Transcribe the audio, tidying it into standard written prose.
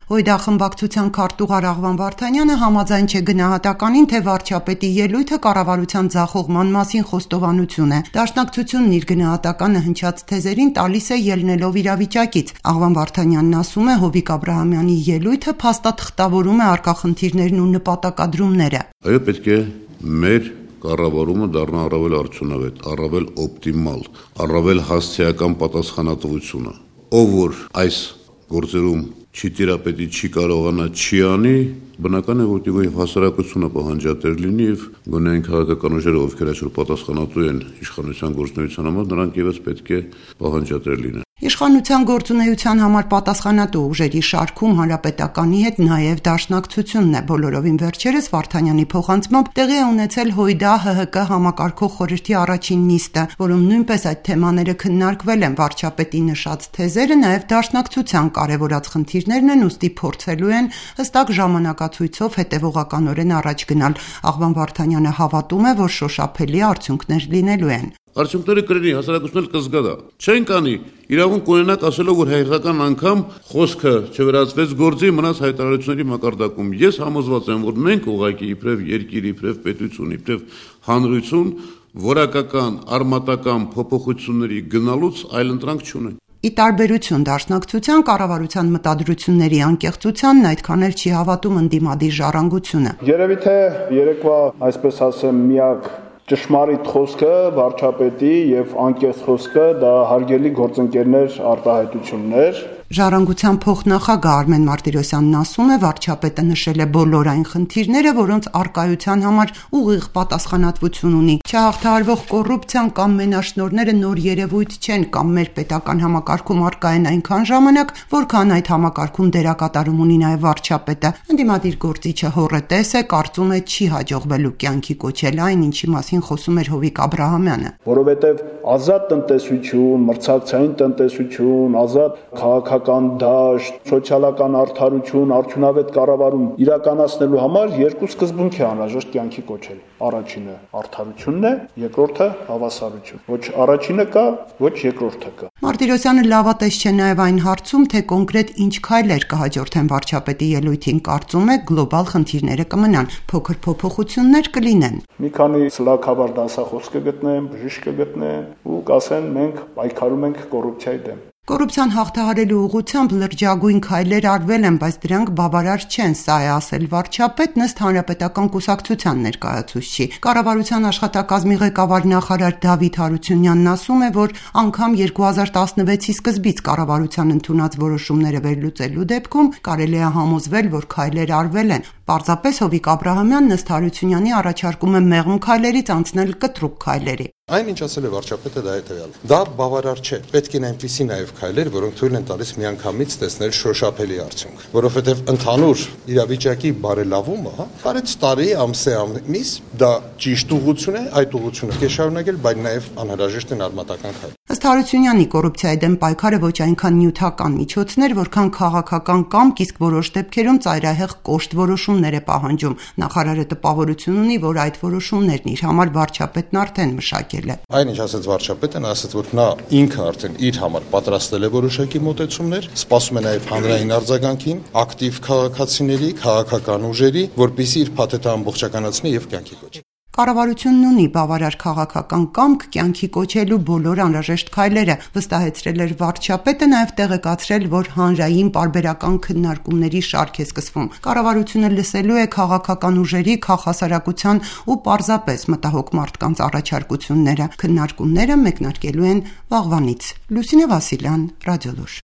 Հույդա խմբակցության քարտուղար Աղվան Վարդանյանը համաձայն չէ գնահատականին, թե վարչապետի ելույթը կառավարության ձախողման մասին խոստովանություն է։ Դաշնակցությունն իր գնահատականը հնչած թեզերին տալիս է ելնելով իրավիճակից։ Աղվան Վարդանյանն ասում է, Հովիկ Աբրահամյանի ելույթը փաստաթղթավորում է առկա խնդիրներն ու նպատակադրումները։ Այո, պետք է մեր կառավարումը դառնա առավել արդյունավետ, առավել օպտիմալ, առավել հասցեական պատասխանատվությունը։ Ով որ այս գործերում չի տիրապետի, չի կարողանա, չի անի, բնական է, որ հասարակությունը պահանջատեր լինի եւ գոնե այն քաղաքական ուժերը, ովքեր այսօր պատասխանատու են իշխանության գործունեության համար, նրանք եւս պետք է պահանջատեր լինեն։ Իշխանության գործունեության համար պատասխանատու ուժերի շարքում հանրապետականի հետ նաև դաշնակցությունն է։ Բոլորովին վերջերս Վարդանյանի փոխանցմամբ տեղի է ունեցել Հույդա ՀՀԿ համակարգող խորհրդի առաջին նիստը, որում նույնպես այդ թեմաները քննարկվել են։ Վարչապետի նշած թեզերը նաև դաշնակցության կարևորած խնդիրներն են, ուստի փորձելու են հստակ ժամանակացույցով հետևողականորեն առաջ գնալ։ Աղվան Վարդանյանը հավատում է, որ շոշափելի արդյունքներ լինելու են։ Արդյունքները կլինի, հասարակությունն կզգա դա։ Չենք անի, իրավունք ունենաք ասելով, որ հայկական անգամ խոսքը չվերածվեց գործի, մնաց հայտարարությունների մակարդակում։ Ես համոզված եմ, որ մենք ուղղակի իբրև երկիր, իբրև պետություն, իբրև հանրություն որակական, արմատական փոփոխությունների գնալուց այլընտրանք չունենք։ Ի տարբերություն դաշնակցության, կառավարության մտադրությունների անկեղծությանն այդքան էլ չի հավատում ընդդիմադիր ժառանգությունը։ Երևի թե երեկվա, այսպես ասեմ, միակ ճշմարիտ խոսքը վարչապետի եւ անկեղծ խոսքը դա հարգելի գործընկերներ արտահայտություններ։ Ժառանգության փոխնախագահ Արմեն Մարտիրոսյանն ասում է, վարչապետը նշել է բոլոր այն խնդիրները, որոնց առկայության համար ուղիղ պատասխանատվություն ունի։ Չհաղթահարվող կոռուպցիան կամ մենաշնորհները նոր երևույթ չեն կամ մեր պետական համակարգում առկա են այնքան ժամանակ, որքան այդ համակարգում դերակատարում ունի նաև վարչապետը։ Ընդդիմադիր գործիչը հոռետես է, կարծում է չի հաջողվելու կյանքի կոչել այն, ինչի մասին խոսում էր Հովիկ Աբրահամյանը։ Որովհետև ազատ տնտեսություն, մրցակցային տնտեսություն, ազատ քաղաքական դաշտ, սոցիալական արդարություն, արդյունավետ կառավարում իրականացնելու համար երկու սկզբունք է անհրաժեշտ կյանքի կոչել։ Առաջինը արդարությունն է, երկրորդը հավասարություն։ Ոչ առաջինը կա, ոչ երկրորդը կա։ Մարտիրոսյանը լավատես չէ նաև այն հարցում, թե կոնկրետ ինչ քայլեր կհաջորդեն վարչապետի ելույթին, կարծում է գլոբալ խնդիրները կմնան, փոքր փոփոխություններ կլինեն։ Մի քանի սլաքավար դասախոս կգտնեն, բժիշկ կգտնեն ու կասեն մենք պայքարում ենք կոռուպցիայի դեմ։ Կոռուպցիան հաղթահարելու ուղղությամբ լրջագույն քայլեր արվել են, բայց դրանք բավարար չեն, սա է ասել վարչապետն ըստ հանրապետական կուսակցության ներկայացուցչի։ Կառավարության աշխատակազմի ղեկավար նախարար Դավիթ Հարությունյանն ասում է, որ անգամ 2016-ի սկզբից կառավարության ընդունած որոշումները վերլուծելու դեպքում կարելի է համոզվել, որ քայլեր արվել են։ Պարզապես Հովիկ Աբրահամյանն ըստ Հարությունյանի առաջարկում է մեղմ քայլերից անցնել կտրուկ քայլերի։ Այն ինչ ասել է վարչապետը դա հետևյալը։ Դա բավարար չէ։ Պետք են այնպիսի նաև քայլեր, որոնք թույլ են տալիս միանգամից տեսնել շոշափելի արդյունք, որովհետև ընդհանուր իրավիճակի բարելավումը, կարեց տարի, ամիս, դա ճիշտ ուղղություն է, այդ ուղղությունը պետք է շարունակել, բայց նաև անհրաժեշտ են արմատական քայլեր։ Ըստ Հարությունյանի կոռուպցիայի դեմ պայքարը ոչ այնքան նյութական միջոցներ, որքան քաղաքական կամք, իսկ որոշ դեպքերում ծայրահեղ կոշտ որոշումներ է պահանջում։ Նախարարը տպավորություն ունի, որ այդ որոշումներն իր համար վարչապետն արդեն մշակել է։ Այն ինչ ասաց վարչապետը, նա ասաց, որ նա ինքը արդեն իր համար պատրաստել է որոշակի մոտեցումներ, սպասում է նաև հանրային արձագանքին, ակտիվ քաղաքացիների, քաղաքական ուժերի, որպեսզի իր փաթեթը ամբողջականացնի եւ կյանքի կոչի։ Կառավարությունն ունի բավարար քաղաքական կամք կյանքի կոչելու բոլոր անհրաժեշտ քայլերը, վստահեցրել էր վարչապետը, նաև տեղեկացրել, որ հանրային պարբերական քննարկումների շարք է սկսվում։ Կառավարությունը լսելու է քաղաքական ուժերի, քաղաքասարակության ու պարզապես մտահոգ մարդկանց առաջարկությունները։ Քննարկումները մեկնարկելու են վաղվանից։ Լուսինե Վասիլյան, Ռադիոլուր։